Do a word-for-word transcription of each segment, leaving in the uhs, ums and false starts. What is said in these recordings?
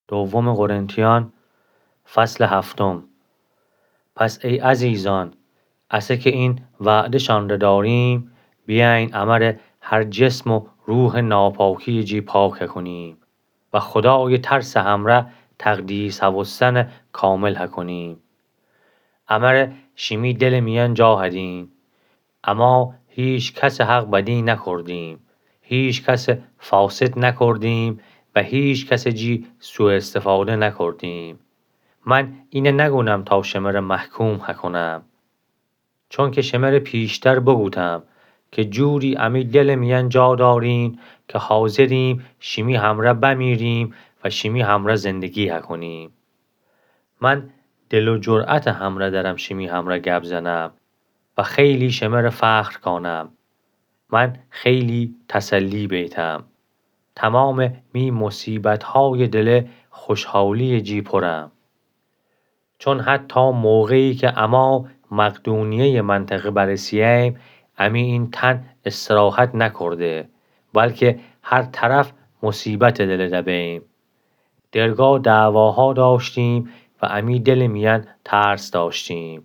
دوم قرنتیان، فصل هفتم. پس ای عزیزان، اسه که این وعده‌شان ره داریم، بیأیین امرأ هر جسم و روحٚ ناپاکی‌یٚ جی پاک هکونیم و خودایٚ ترسٚ همرأ تقدیس هوستنٚ کامل هکونیم. امرأ شیمی دلٚ میأن جا هدیم. اما هیکسٚ حق بدی نکردیم، هیکس فاسد نکردیم و هیکسٚ جی سوءاستفاده نکردیم. من اینه نگونم تا شمره محکوم هکونم، چونکه شمره پیشتر بگوتم که جوری امی دلٚ میأن جا داریم که حاضریم شیمی همرأ بمیریم و شیمی همرأ زندگی هکونیم. من دل و جرأتٚ همرأ درم شیمی همرأ گپ زنم و خیلی شمره فخر کانم. من خیلی تسلی بیتم. تمامٚ می مصیبت‌هایٚ دله خوشحالی‌یٚ جی پرم. چون حتی موقعی که اما مقدونیه‌یٚ منطقه برسییم، امی این تن استراحت نکرده، بلکه هر طرف مصیبتٚ دله دبه‌ییم. درگاه دعواها داشتیم و امی دلٚ میأن ترس داشتیم.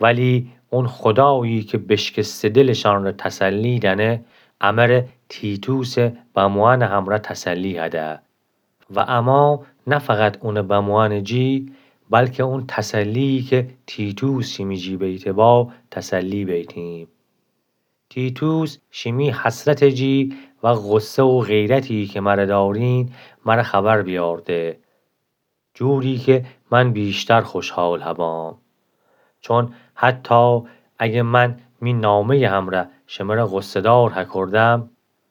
ولی اون خودایی که بشکسته دلشان ره تسلی دأنه، امرأ تیتوسٚ بموأنٚ همرأ تسلی هده. و اما نه فقط اونٚ بموأنٚ جی، بلکه اون تسلی‌یی که تیتوس شیمی جی بیته با تسلی بیتیم. تیتوس شیمی حسرتٚ جی و غصه و غیرتی که مره دارین، مره خبر بیارده، جوری که من بیشتر خوشحال هبام. چون حتی اگه من می نامه‌یٚ همرأ شمره غصه‌دار هکردم،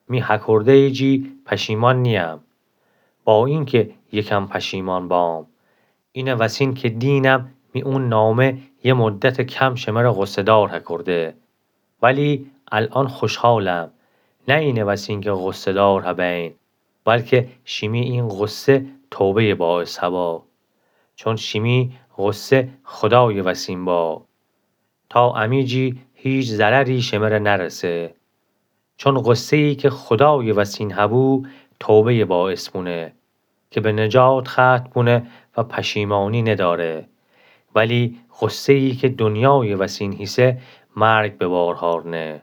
می هکرده‌یٚ جی پشیمان نییم، با اینکه یکم پشیمان بام. اینه وسین که دینم می اون نامه یه مدتٚ کم شمره غصه‌دار هکرده. ولی الأن خوشحالم، نه اینه وسین که غصه‌دار هبین، بلکه شیمی این غصه توبه‌یٚ باعث هبا. چون شیمی غصه خودایٚ وسین با، تا امی جی هیچ ضرری شمره نرسه. چون غصه‌یی که خودایٚ وسین هبو، توبه‌یٚ باعث بونه که به نجات ختم بونه و پشیمانی نداره. ولی غصه‌یی که دنیایٚ وسین هیسه، مرگ به بار هارنه.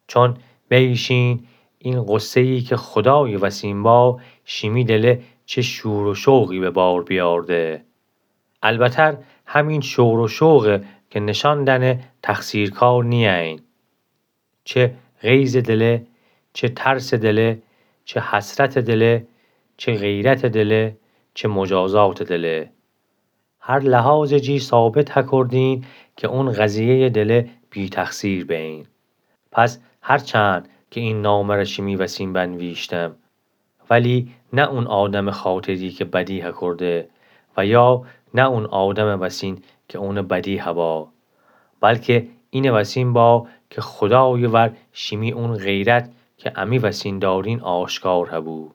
چون بیشین، این غصه‌یی که خودایٚ وسین با، شیمی دله چه شور و شوقی به بار بیارده. البتر همین شور و شوقه که نشان دأنه تقصیرکار نیین. چه غیظٚ دله، چه ترسٚ دله، چه حسرتٚ دله، چه غیرتٚ دله، چه مجازاتٚ دله. هر لحاظٚ جی ثابت هکردین که اون قضیه‌یٚ دله بی‌تقصیر بین. پس هرچند که این نامه ره شیمی وسین بنویشتم، ولی نه اون آدمٚ خاطری که بدی هکرده و یا نه اون آدمٚ وسین که اونٚ بدی هبا، بلکه اینٚ وسین با که خودایٚ ور شیمی اون غیرت که امی وسین دارین آشکار هبو.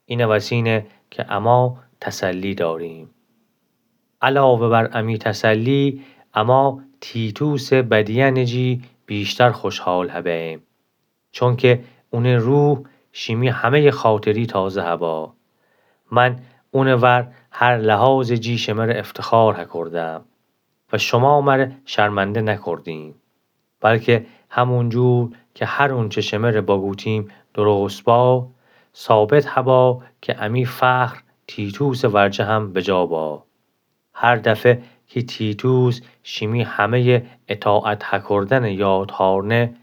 اینٚ وسینه که اما تسلی داریم. علاوه بر امی تسلی، اما تیتوسٚ بدیأنٚ جی بیشتر خوشحال هبیم، چونکه اونٚ روح شیمی همه‌یٚ خاطری تازه هبا. من اونٚ ور هر لحاظٚ جی شمره افتخار هکردم و شما مره شرمنده نکردین. بلکه همونجور که هر اونچه شمره بگوتیم درست با، ثابت هبا که امی فخر تیتوسٚ ورجه هم بجا با. هر دفه که تیتوس شیمی همه‌یٚ اطاعت هکردنٚ یاد هارنه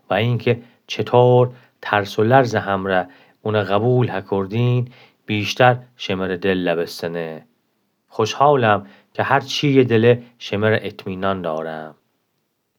و اینکه چطور ترس و لرزٚ همرأ اونه قبول هکردین، بیشتر شمره دل لبستنه. خوشحالم که هر چی‌یٚ دله شمره اطمینان دارم.